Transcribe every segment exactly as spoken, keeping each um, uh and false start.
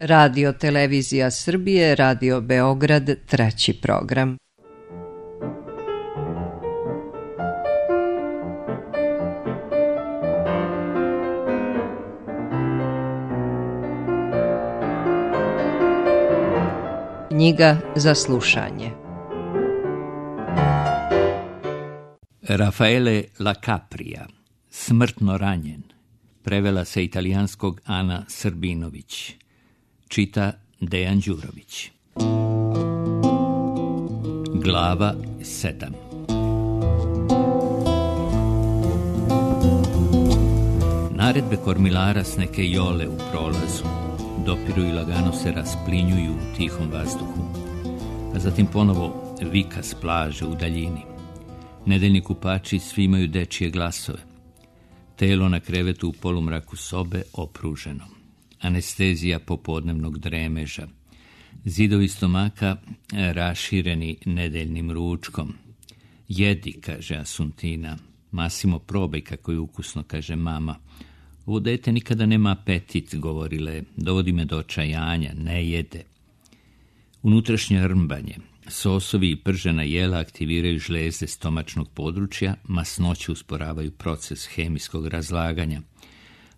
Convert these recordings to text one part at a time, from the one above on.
Radio Televizija Srbije, Radio Beograd, treći program. Knjiga za slušanje. Raffaele La Capria, Smrtno ranjen, prevela sa italijanskog Ana Srbinović, čita Dejan Đurović. Glava sedam. Naredbe kormilara s neke jole u prolazu dopiru i lagano se rasplinjuju u tihom vazduhu, a zatim ponovo vika s plaže u daljini. Nedeljni kupači svi imaju dečije glasove. Telo na krevetu u polumraku sobe opruženo. Anestezija popodnevnog dremeža. Zidovi stomaka rašireni nedeljnim ručkom. Jedi, kaže Asuntina. Masimo, probaj kako je ukusno, kaže mama. Ovo dete nikada nema apetit, govorile. Dovodi me do očajanja, ne jede. Unutrašnje rmbanje. Sosovi i pržena jela aktiviraju žlezde stomačnog područja, masnoće usporavaju proces hemijskog razlaganja.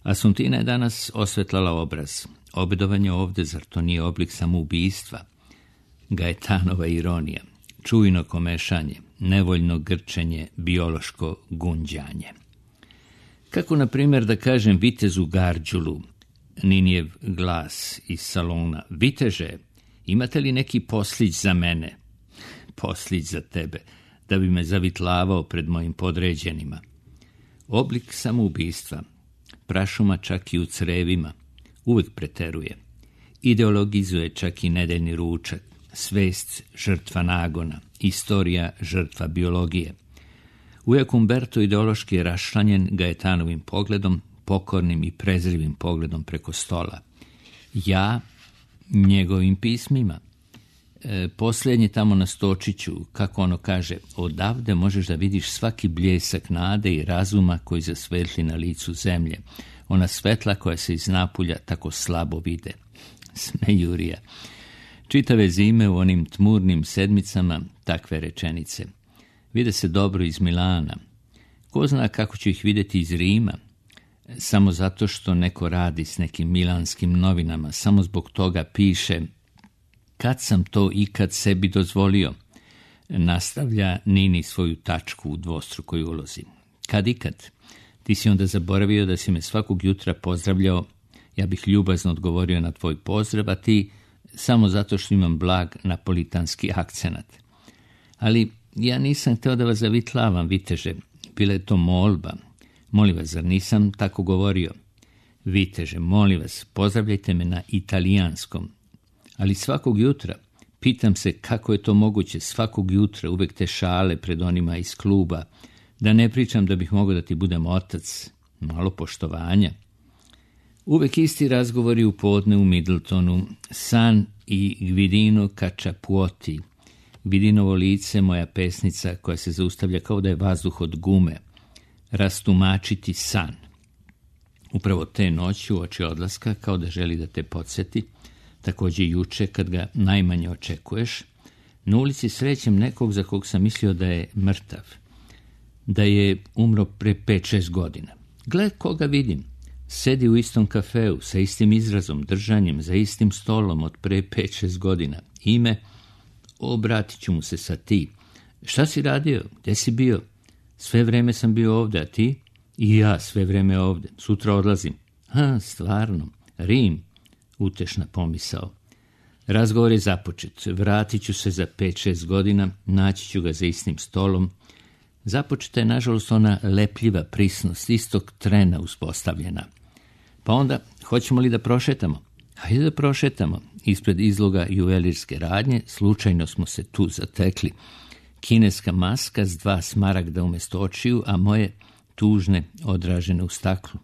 Asuntina je danas osvetlala obraz. Obedovanje ovde, zar to nije oblik samoubistva? Gajetanova ironija, čujno komešanje, nevoljno grčenje, biološko gunđanje. Kako, na primjer, da kažem vitezu Garđulu, Ninijev glas iz salona: Viteže, imate li neki poslić za mene? Poslić za tebe, da bi me zavitlavao pred mojim podređenima. Oblik samoubistva, prašuma čak i u crevima, uvek preteruje. Ideologizuje čak i nedeljni ručak, svest žrtva nagona, istorija žrtva biologije. Ujak Umberto ideološki je rašlanjen Gajetanovim pogledom, pokornim i prezrivim pogledom preko stola. Ja njegovim pismima. E, posljednje tamo na stočiću, kako ono kaže, odavde možeš da vidiš svaki bljesak nade i razuma koji zasvetli na licu zemlje. Ona svetla koja se iz napulja tako slabo vide. Smejurija. Čitave zime u onim tmurnim sedmicama takve rečenice. Vide se dobro iz Milana. Ko zna kako ću ih vidjeti iz Rima? Samo zato što neko radi s nekim milanskim novinama, samo zbog toga piše: kad sam to ikad sebi dozvolio? Nastavlja Nini svoju tačku u dvostrukoj ulozi. Kad ikad? Ti si onda zaboravio da si me svakog jutra pozdravljao. Ja bih ljubazno odgovorio na tvoj pozdrav, a ti samo zato što imam blag napolitanski akcenat. Ali ja nisam hteo da vas zavitlavam, viteže. Bila je to molba. Molim vas, zar nisam tako govorio? Viteže, molim vas, pozdravljajte me na italijanskom. Ali svakog jutra, pitam se kako je to moguće, svakog jutra uvek te šale pred onima iz kluba, da ne pričam da bih mogao da ti budem otac, malo poštovanja. Uvek isti razgovori u podne u Middletonu, San i Gvidino Cacciapuoti, Gvidinovo lice, moja pesnica koja se zaustavlja kao da je vazduh od gume, rastumačiti san. Upravo te noći uoči odlaska, kao da želi da te podsjeti, također juče kad ga najmanje očekuješ, na ulici srećem nekog za kog sam mislio da je mrtav, da je umro pre pet šest godina. Gled koga vidim, sedi u istom kafeu, sa istim izrazom, držanjem, za istim stolom od pre pet šest godina. Ime, obratit ću mu se sa ti. Šta si radio? Gde si bio? Sve vreme sam bio ovde, a ti? I ja sve vreme ovde. Sutra odlazim. Ha, stvarno. Rim. Utešna pomisao. Razgovor je započet. Vratit ću se za pet šest godina, naći ću ga za istim stolom. Započeta je, nažalost, ona lepljiva prisnost, istog trena uspostavljena. Pa onda, hoćemo li da prošetamo? Hajde da prošetamo. Ispred izloga juvelirske radnje slučajno smo se tu zatekli. Kineska maska s dva smaragda umjesto očiju, a moje tužne odražene u staklu.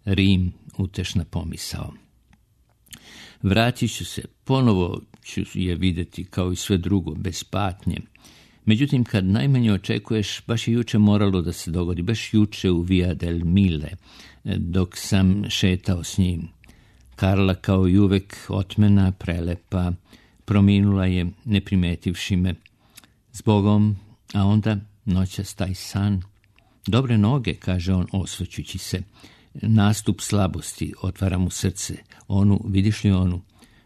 Rim, utešna pomisao. Vratit ću se, ponovo ću je vidjeti kao i sve drugo, bez patnje. Međutim, kad najmanje očekuješ, baš je juče moralo da se dogodi, baš juče u Via del Mille, dok sam šetao s njim. Karla kao i uvek otmena, prelepa, prominula je ne primetivši me. Zbogom, a onda noćas taj san. Dobre noge, kaže on osvrćući se. Nastup slabosti otvara mu srce. Onu, vidiš li onu?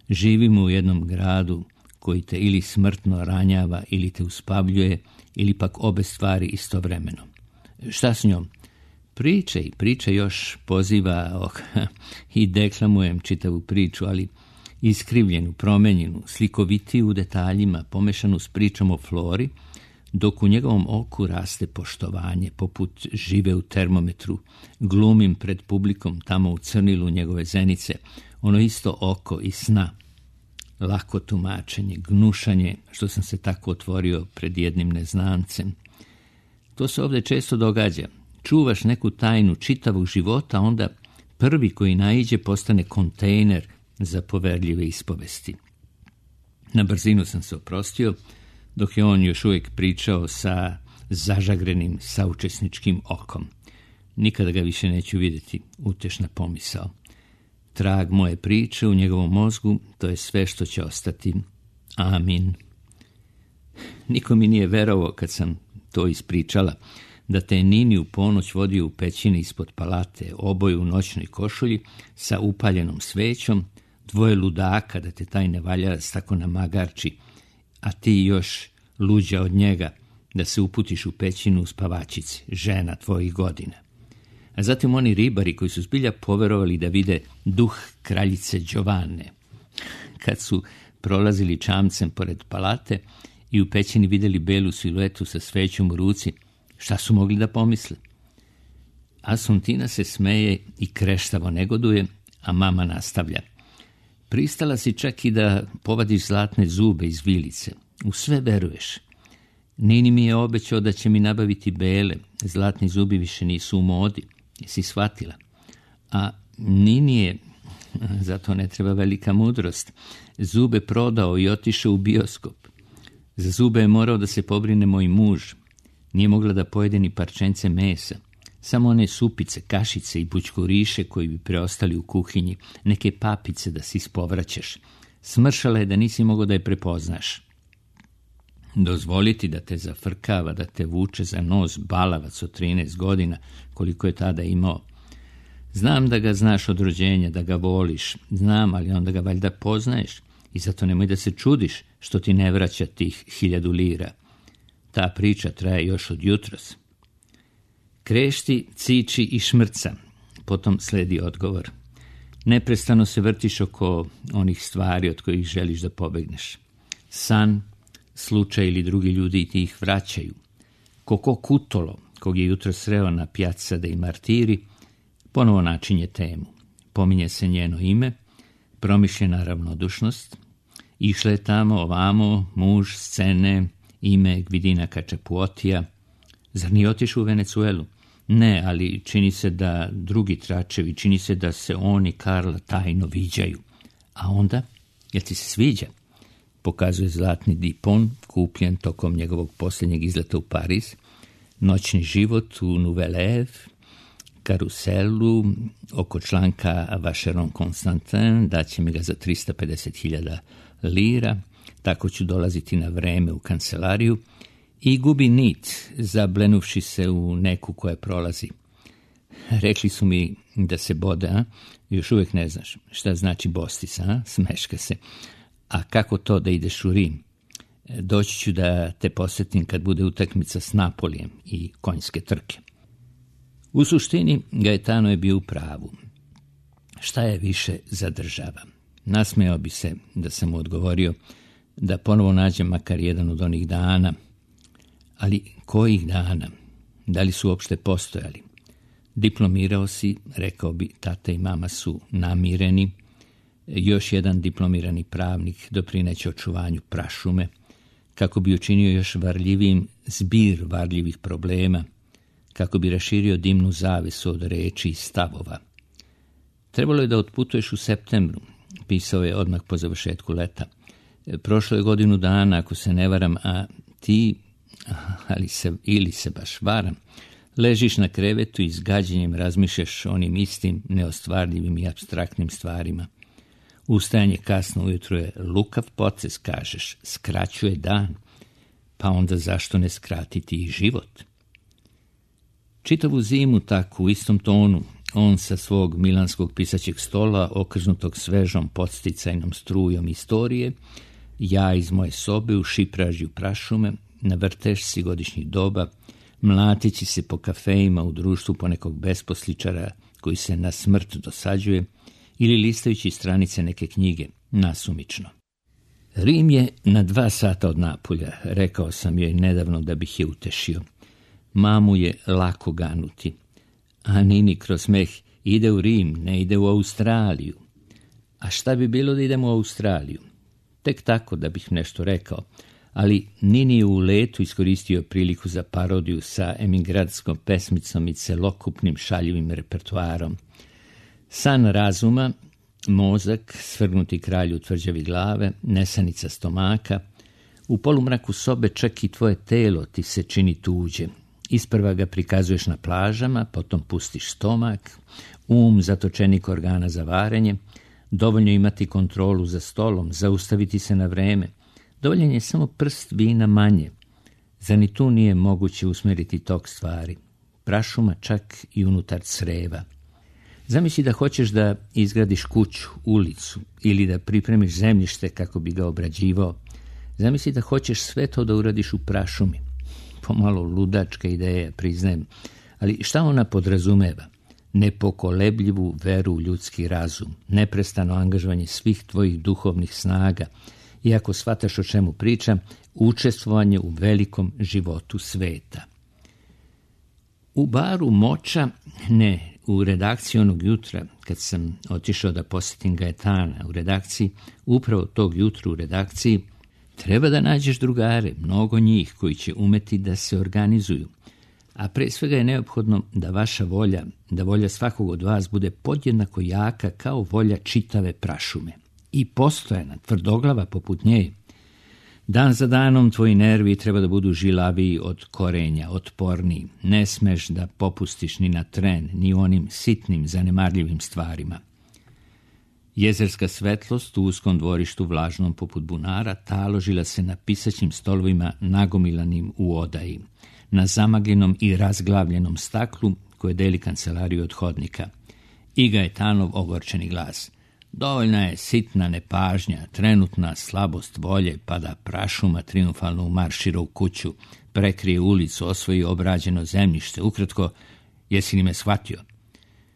Živimo u jednom gradu koji te ili smrtno ranjava, ili te uspavljuje, ili pak obe stvari istovremeno. Šta s njom? Pričaj, pričaj još, poziva, oh, i deklamujem čitavu priču, ali iskrivljenu, promenjenu, slikovitiju u detaljima, pomešanu s pričom o Flori, dok u njegovom oku raste poštovanje, poput žive u termometru, glumim pred publikom tamo u crnilu njegove zenice, ono isto oko i sna. Lako tumačenje, gnušanje, što sam se tako otvorio pred jednim neznancem. To se ovdje često događa. Čuvaš neku tajnu čitavog života, onda prvi koji naiđe postane kontejner za poverljive ispovesti. Na brzinu sam se oprostio, dok je on još uvijek pričao sa zažagrenim saučesničkim okom. Nikada ga više neću vidjeti, utešna pomisao. Trag moje priče u njegovom mozgu, to je sve što će ostati. Amin. Niko mi nije verovao kad sam to ispričala, da te Nini u ponoć vodio u pećini ispod palate, oboje u noćnoj košulji, sa upaljenom svećom, dvoje ludaka da te taj nevaljarac tako namagarči, a ti još luđa od njega da se uputiš u pećinu u spavačici, žena tvojih godina. A zatim oni ribari koji su zbilja poverovali da vide duh kraljice Đovane. Kad su prolazili čamcem pored palate i u pećini vidjeli belu siluetu sa svećom u ruci, šta su mogli da pomisle? Asuntina se smeje i kreštavo negoduje, a mama nastavlja. Pristala si čak i da povadiš zlatne zube iz vilice. U sve veruješ. Nini mi je obećao da će mi nabaviti bele. Zlatni zubi više nisu u modi. Jesi shvatila? A Nini je, zato ne treba velika mudrost, zube prodao i otišao u bioskop. Za zube je morao da se pobrine moj muž. Nije mogla da pojede ni parčence mesa. Samo one supice, kašice i bućkuriše koji bi preostali u kuhinji, neke papice da si ispovraćaš. Smršala je da nisi mogao da je prepoznaš. Dozvoliti da te zafrkava, da te vuče za nos balavac od trinaest godina, koliko je tada imao. Znam da ga znaš od rođenja, da ga voliš, znam, ali onda ga valjda poznaješ i zato nemoj da se čudiš što ti ne vraća tih hiljadu lira. Ta priča traje još od jutros. Krešti, ciči i šmrca. Potom sledi odgovor. Neprestano se vrtiš oko onih stvari od kojih želiš da pobegneš. San, slučaj ili drugi ljudi ti ih vraćaju. Koko Kutolo, kog je jutro sreo na Piazza dei Martiri, ponovo načinje temu. Pominje se njeno ime, promišljena ravnodušnost, išle je tamo ovamo, muž, scene, ime Gvidina Kačapuotija. Zar nije otišao u Venecuelu? Ne, ali čini se da drugi tračevi, čini se da se on i Karla tajno viđaju. A onda, jel ti se sviđa? Pokazuje zlatni dipon, kupljen tokom njegovog posljednjeg izleta u Pariz, noćni život u Nouvelle, karuselu, oko članka Vacheron Constantin, daće mi ga za trista pedeset hiljada lira, tako ću dolaziti na vreme u kancelariju, i gubi nit, zablenuvši se u neku koja prolazi. Rekli su mi da se bode, a? Još uvijek ne znaš šta znači bostis, a? Smeška se. A kako to da ideš u Rim? Doći ću da te posjetim kad bude utakmica s Napolijem i konjske trke. U suštini, Gaetano je bio u pravu. Šta je više zadržava? Nasmejao bi se da sam mu odgovorio da ponovo nađem makar jedan od onih dana. Ali kojih dana? Da li su uopšte postojali? Diplomirao si, rekao bi, tata i mama su namireni. Još jedan diplomirani pravnik doprineće očuvanju prašume, kako bi učinio još varljivijim zbir varljivih problema, kako bi raširio dimnu zavesu od reči i stavova. Trebalo je da otputuješ u septembru, pisao je odmah po završetku leta. Prošlo je godinu dana, ako se ne varam, a ti, ali se, ili se baš varam, ležiš na krevetu i s gađenjem razmišljaš o onim istim neostvarljivim i apstraktnim stvarima. Ustajanje kasno ujutro je lukav proces, kažeš, skraćuje dan, pa onda zašto ne skratiti i život? Čitavu zimu tako u istom tonu, on sa svog milanskog pisaćeg stola, okrznutog svežom podsticajnom strujom istorije, ja iz moje sobe u šipražju prašume, na vrtešci godišnjih doba, mlatići se po kafejima u društvu ponekog besposličara koji se na smrt dosađuje, ili listajući stranice neke knjige, nasumično. Rim je na dva sata od Napulja, rekao sam joj nedavno da bih je utešio. Mamu je lako ganuti, a Nini kroz smeh ide u Rim, ne ide u Australiju. A šta bi bilo da idemo u Australiju? Tek tako da bih nešto rekao, ali Nini je u letu iskoristio priliku za parodiju sa emigratskom pesmicom i celokupnim šaljivim repertoarom. San razuma, mozak, svrgnuti kralju tvrđavi glave, nesanica stomaka, u polumraku sobe čak i tvoje telo ti se čini tuđe. Isprva ga prikazuješ na plažama, potom pustiš stomak, um zatočenik organa za varenje, dovoljno imati kontrolu za stolom, zaustaviti se na vreme, dovoljan je samo prst vina manje. Za ni tu nije moguće usmeriti tok stvari. Prašuma čak i unutar creva. Zamisli da hoćeš da izgradiš kuću, ulicu ili da pripremiš zemljište kako bi ga obrađivao. Zamisli da hoćeš sve to da uradiš u prašumi. Pomalo ludačka ideja, priznajem, ali šta ona podrazumeva? Nepokolebljivu veru u ljudski razum, neprestano angažovanje svih tvojih duhovnih snaga, iako shvataš o čemu pričam, učestvovanje u velikom životu sveta. U baru Moča, ne, u redakciji onog jutra, kad sam otišao da posjetim Gajetana u redakciji, upravo tog jutra u redakciji, treba da nađeš drugare, mnogo njih koji će umeti da se organizuju. A pre svega je neophodno da vaša volja, da volja svakog od vas bude podjednako jaka kao volja čitave prašume. I postojana, tvrdoglava poput nje. Dan za danom tvoji nervi treba da budu žilaviji od korenja, otporniji. Ne smeš da popustiš ni na tren, ni onim sitnim, zanemarljivim stvarima. Jezerska svetlost u uskom dvorištu vlažnom poput bunara taložila se na pisaćim stolovima nagomilanim u odaji, na zamagljenom i razglavljenom staklu koje deli kancelariju od hodnika. I Gajetanov ogorčeni glas. Dovoljna je sitna nepažnja, trenutna slabost volje, pa da prašuma triumfalno umaršira u kuću, prekrije ulicu, osvoji obrađeno zemljište. Ukratko, jesi li me shvatio?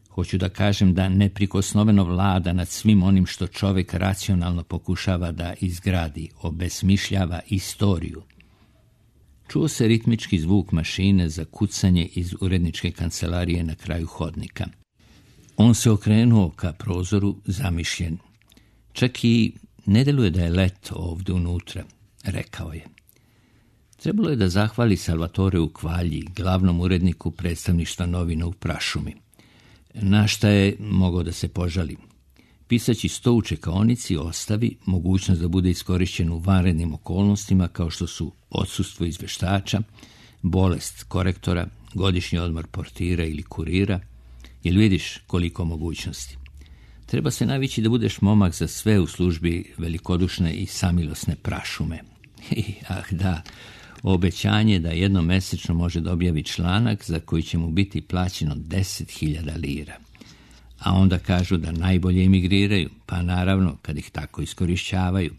Hoću da kažem da neprikosnoveno vlada nad svim onim što čovjek racionalno pokušava da izgradi, obesmišljava istoriju. Čuo se ritmički zvuk mašine za kucanje iz uredničke kancelarije na kraju hodnika. On se okrenuo ka prozoru zamišljen. Čak i ne deluje da je leto ovdje unutra, rekao je. Trebalo je da zahvali Salvatore u Kvalji, glavnom uredniku predstavništva novina u prašumi. Na šta je mogao da se požali? Pisaći sto u čekaonici ostavi mogućnost da bude iskorišćen u vanrednim okolnostima kao što su odsustvo izveštača, bolest korektora, godišnji odmor portira ili kurira. Jel vidiš koliko mogućnosti? Treba se navići da budeš momak za sve u službi velikodušne i samilosne prašume. I, ah da, obećanje da jednom mesečno može da objavi članak za koji će mu biti plaćeno deset hiljada lira. A onda kažu da najbolje emigriraju, pa naravno kad ih tako iskorišćavaju.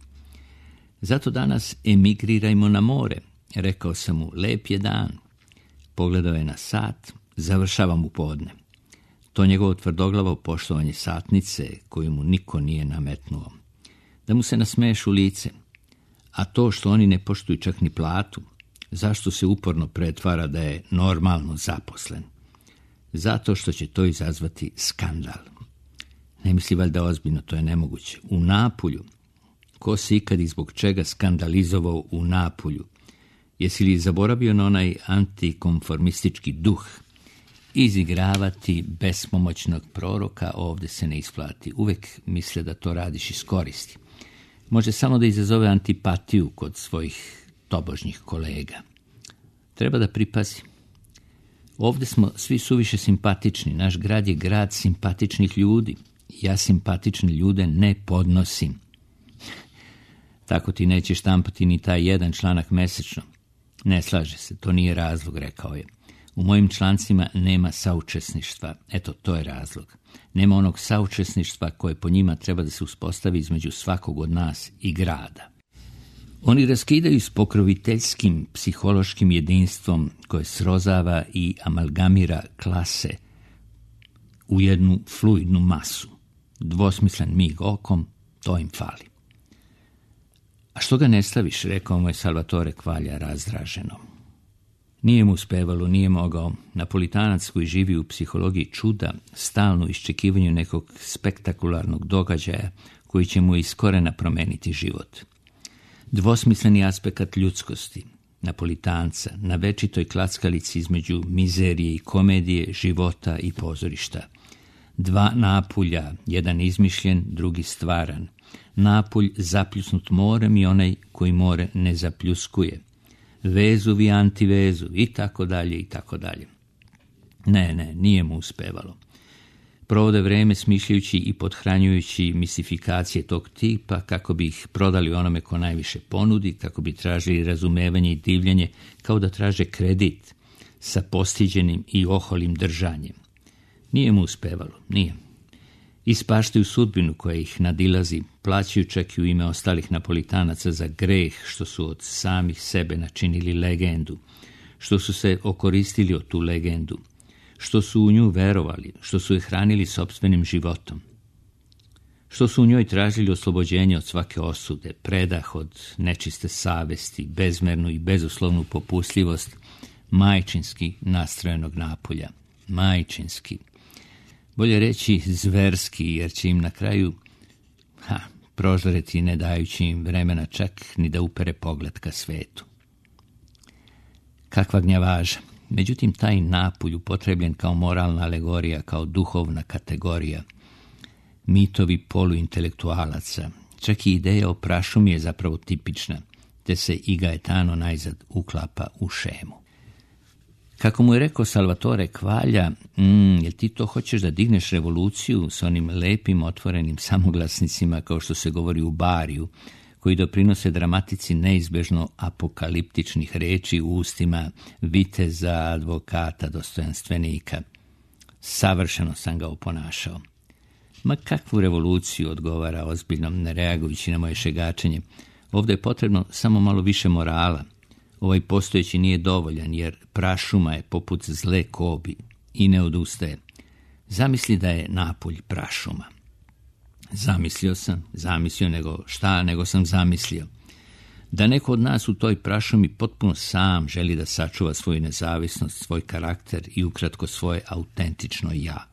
Zato danas emigrirajmo na more, rekao sam mu, lep je dan. Pogledao je na sat, završavam u podne. To njegovo tvrdoglavo poštovanje satnice koju mu niko nije nametnuo. Da mu se nasmeješ u lice. A to što oni ne poštuju čak ni platu, zašto se uporno pretvara da je normalno zaposlen? Zato što će to izazvati skandal. Ne misli valjda ozbiljno, to je nemoguće. U Napulju. Ko se ikad i zbog čega skandalizovao u Napulju? Jesi li zaboravio na onaj antikonformistički duh? Izigravati bespomoćnog proroka ovdje se ne isplati. Uvek misle da to radiš iz koristi. Može samo da izazove antipatiju kod svojih tobožnjih kolega. Treba da pripazi. Ovdje smo svi suviše simpatični. Naš grad je grad simpatičnih ljudi. Ja simpatične ljude ne podnosim. Tako ti neće štampati ni taj jedan članak mesečno. Ne slaže se, to nije razlog, rekao je. U mojim člancima nema saučesništva. Eto, to je razlog. Nema onog saučesništva koje po njima treba da se uspostavi između svakog od nas i grada. Oni raskidaju s pokroviteljskim psihološkim jedinstvom koje srozava i amalgamira klase u jednu fluidnu masu. Dvosmislen mig okom, to im fali. A što ga ne staviš, rekao mu je Salvatore Kvalja razdraženo. Nije mu uspevalo, nije mogao. Napolitanac koji živi u psihologiji čuda, stalno iščekivanju nekog spektakularnog događaja koji će mu iz korena promeniti život. Dvosmisleni aspekt ljudskosti, Napolitanca, na večitoj klackalici između mizerije i komedije, života i pozorišta. Dva napulja, jedan izmišljen, drugi stvaran. Napulj zapljusnut morem i onaj koji more ne zapljuskuje. Vezuv i antivezuv i tako dalje i tako dalje. Ne, ne, nije mu uspevalo. Provode vreme smišljajući i pothranjujući mistifikacije tog tipa kako bi ih prodali onome ko najviše ponudi, kako bi tražili razumevanje i divljenje, kao da traže kredit sa postiđenim i oholim držanjem. Nije mu uspevalo, nije. Ispaštaju sudbinu koja ih nadilazi, plaćaju čak i u ime ostalih Napolitanaca za greh što su od samih sebe načinili legendu, što su se okoristili od tu legendu, što su u nju verovali, što su je hranili sopstvenim životom, što su u njoj tražili oslobođenje od svake osude, predah od nečiste savesti, bezmernu i bezuslovnu popustljivost majčinski nastrojenog napolja. Majčinski. Bolje reći zverski, jer će im na kraju ha, prožareti ne dajući im vremena čak ni da upere pogled ka svetu. Kakva gnjavaža. Međutim, taj napulj upotrebljen kao moralna alegorija, kao duhovna kategorija, mitovi poluintelektualaca, čak i ideja o prašumi je zapravo tipična, te se i Gaetano najzad uklapa u šemu. Kako mu je rekao Salvatore Kvalja, mm, jel ti to hoćeš da digneš revoluciju s onim lepim otvorenim samoglasnicima kao što se govori u Bariju, koji doprinose dramatici neizbežno apokaliptičnih reči u ustima viteza, advokata, dostojanstvenika. Savršeno sam ga oponašao. Ma kakvu revoluciju, odgovara ozbiljno, ne reagujući na moje šegačenje. Ovdje je potrebno samo malo više morala. Ovaj postojeći nije dovoljan, jer prašuma je poput zle kobi i ne odustaje. Zamisli da je napolj prašuma. Zamislio sam, zamislio nego šta, nego sam zamislio. Da neko od nas u toj prašumi potpuno sam želi da sačuva svoju nezavisnost, svoj karakter i ukratko svoje autentično ja.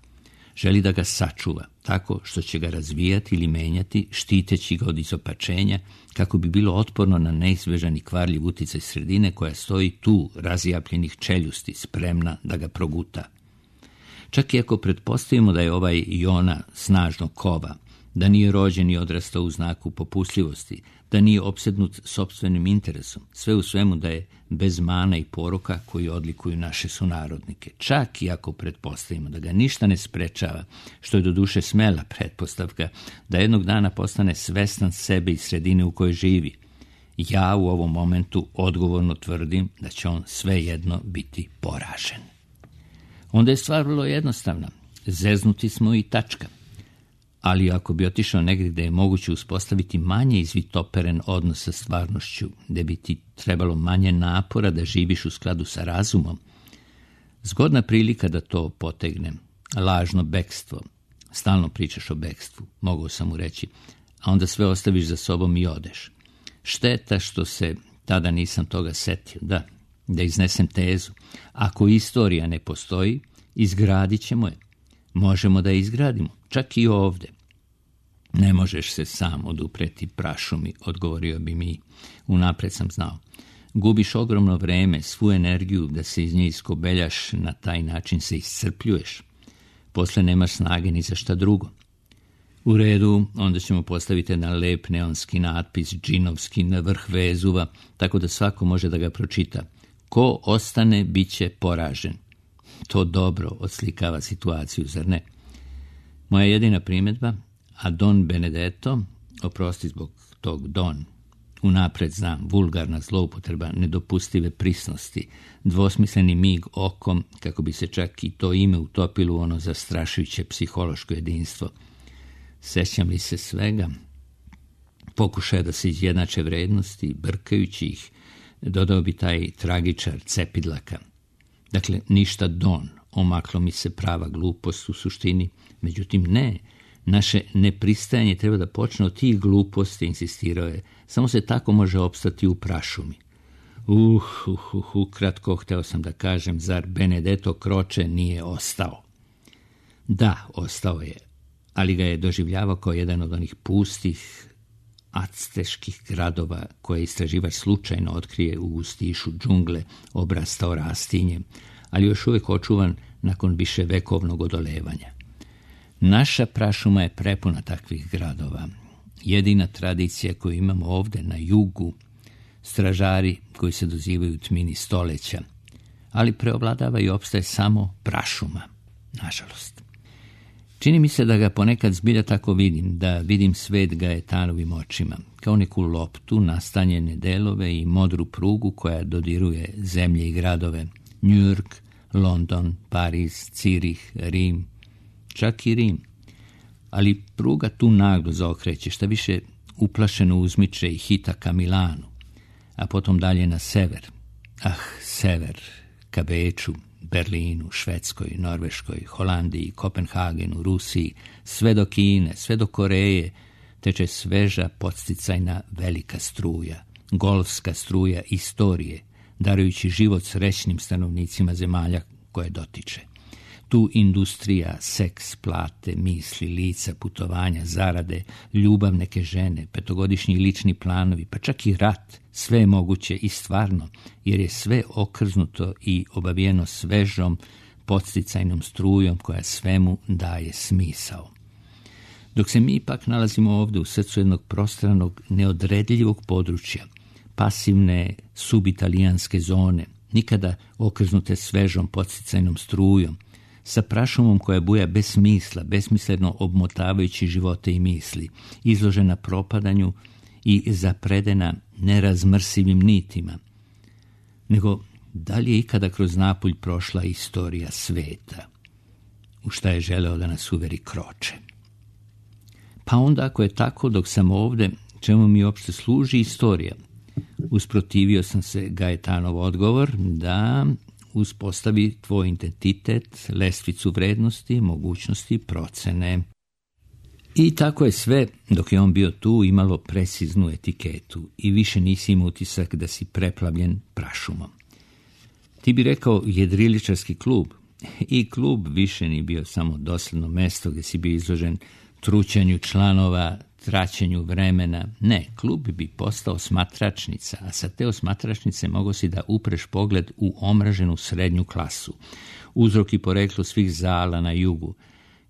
Želi da ga sačuva, tako što će ga razvijati ili menjati, štiteći ga od izopačenja, kako bi bilo otporno na neizbežan i kvarljiv uticaj sredine koja stoji tu, razjapljenih čeljusti, spremna da ga proguta. Čak i ako pretpostavimo da je ovaj Jona snažno kova, da nije rođen i odrastao u znaku popustljivosti, da nije opsednut sopstvenim interesom, sve u svemu da je bez mana i poroka koji odlikuju naše sunarodnike. Čak i ako pretpostavimo da ga ništa ne sprečava, što je doduše smela pretpostavka, da jednog dana postane svestan sebe i sredine u kojoj živi, ja u ovom momentu odgovorno tvrdim da će on svejedno biti poražen. Onda je stvar vrlo jednostavna. Zeznuti smo i tačka. Ali ako bi otišao negdje gdje je moguće uspostaviti manje izvitoperen odnos sa stvarnošću, gdje bi ti trebalo manje napora da živiš u skladu sa razumom, zgodna prilika da to potegnem. Lažno bekstvo. Stalno pričaš o bekstvu, mogao sam mu reći, a onda sve ostaviš za sobom i odeš. Šteta što se tada nisam toga setio, da, da iznesem tezu. Ako istorija ne postoji, izgradit ćemo je. Možemo da je izgradimo, čak i ovdje. Ne možeš se sam odupreti prašumi, odgovorio bi mi. Unapred sam znao. Gubiš ogromno vreme, svu energiju da se iz nje iskobeljaš, na taj način se iscrpljuješ. Posle nemaš snage ni za šta drugo. U redu, onda ćemo postaviti jedan lep neonski natpis, džinovski, na vrh Vezuva, tako da svako može da ga pročita. Ko ostane, bit će poražen. To dobro odslikava situaciju, zar ne? Moja jedina primjedba, a Don Benedetto, oprosti zbog tog Don, unapred znam, vulgarna zloupotreba, nedopustive prisnosti, dvosmisleni mig okom, kako bi se čak i to ime utopilo u ono zastrašujuće psihološko jedinstvo. Sećam li se svega? Pokušaja da se izjednače vrednosti, brkajući ih, dodao bi taj tragičar Cepidlaka. Dakle, ništa Don, omaklo mi se prava glupost u suštini, međutim ne, naše nepristajanje treba da počne od tih gluposti, insistirao je, samo se tako može opstati u prašumi. Uh, uh, uh, ukratko hteo sam da kažem, zar Benedetto Croce nije ostao? Da, ostao je, ali ga je doživljavao kao jedan od onih pustih, acteških gradova koje istraživač slučajno otkrije u gustišu džungle, obrastao rastinjem, ali još uvijek očuvan nakon više vekovnog odolevanja. Naša prašuma je prepuna takvih gradova. Jedina tradicija koju imamo ovdje na jugu, stražari koji se dozivaju tmini stoleća, ali preovladava i opstaje samo prašuma, nažalost. Čini mi se da ga ponekad zbilja tako vidim, da vidim svet Gaetanovim očima, kao neku loptu, nastanjene delove i modru prugu koja dodiruje zemlje i gradove, New York, London, Pariz, Cirih, Rim, čak i Rim. Ali pruga tu naglo zaokreće, šta više uplašeno uzmiče i hita ka Milanu, a potom dalje na sever. Ah, sever, ka Beču, Berlinu, Švedskoj, Norveškoj, Holandiji, Kopenhagenu, Rusiji, sve do Kine, sve do Koreje, teče sveža podsticajna velika struja, golfska struja istorije, darujući život srećnim stanovnicima zemalja koje dotiče. Tu industrija, seks, plate, misli, lica, putovanja, zarade, ljubav neke žene, petogodišnji lični planovi, pa čak i rat, sve je moguće i stvarno, jer je sve okrznuto i obavijeno svežom, podsticajnom strujom koja svemu daje smisao. Dok se mi ipak nalazimo ovdje u srcu jednog prostranog, neodredljivog područja, pasivne subitalijanske zone, nikada okrznute svežom podsticajnom strujom, sa prašumom koja buja bez smisla, besmisleno obmotavajući živote i misli, izložena propadanju i zapredena nerazmrsivim nitima, nego da li je ikada kroz napulj prošla istorija sveta, u šta je želeo da nas uveri Croce. Pa onda, ako je tako, dok sam ovdje, čemu mi uopšte služi istorija? Usprotivio sam se Gaetanov odgovor da uspostavi tvoj identitet, lestvicu vrednosti, mogućnosti, procene. I tako je sve, dok je on bio tu, imalo preciznu etiketu i više nisi imao utisak da si preplavljen prašumom. Ti bi rekao jedriličarski klub, i klub više nije bio samo dosledno mesto gdje si bio izložen trućanju članova, traćenju vremena. Ne, klub bi postao smatračnica, a sa te osmatračnice mogo si da upreš pogled u omraženu srednju klasu, uzrok i poreklo svih zala na jugu,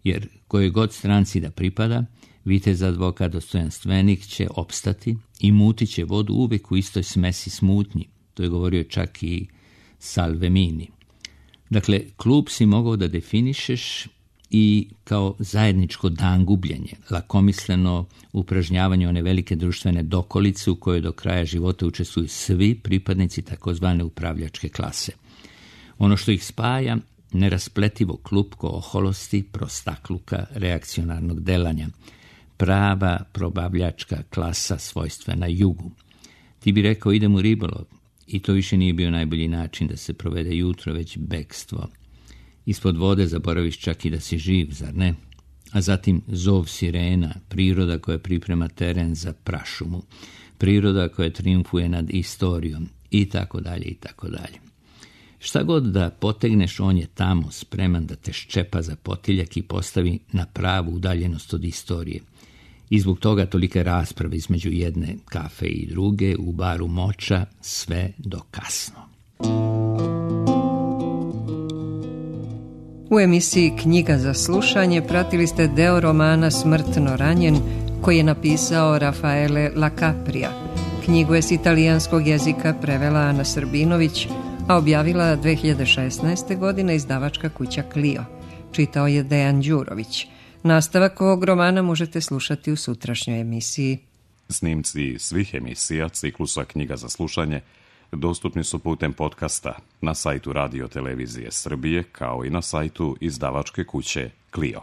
jer kojoj god stranci da pripada, vitez advokat dostojanstvenik će opstati i mutit će vodu uvijek u istoj smesi smutnji. To je govorio čak i Salvemini. Dakle, klub si mogao da definišeš i kao zajedničko dangubljenje, lakomisleno upražnjavanje one velike društvene dokolice u kojoj do kraja života učestvuju svi pripadnici takozvane upravljačke klase. Ono što ih spaja, neraspletivo klupko oholosti, prostakluka, reakcionarnog delanja, prava probavljačka klasa svojstvena jugu. Ti bi rekao idem u ribolov, i to više nije bio najbolji način da se provede jutro, već bekstvo. Ispod vode zaboraviš čak i da si živ, zar ne? A zatim zov sirena, priroda koja priprema teren za prašumu, priroda koja triumfuje nad istorijom i tako dalje i tako dalje. Šta god da potegneš, on je tamo, spreman da te ščepa za potiljak i postavi na pravu udaljenost od istorije. I zbog toga tolike rasprave između jedne kafe i druge u baru Moča, sve do kasno. U emisiji Knjiga za slušanje pratili ste deo romana Smrtno ranjen, koji je napisao Rafaele Lacaprija. Knjigu je s italijanskog jezika prevela Ana Srbinović, a objavila dve hiljade šesnaeste. godine izdavačka kuća Clio. Čitao je Dejan Đurović. Nastavak ovog romana možete slušati u sutrašnjoj emisiji. Snimci svih emisija ciklusa Knjiga za slušanje dostupni su putem podcasta na sajtu Radio Televizije Srbije kao i na sajtu izdavačke kuće Clio.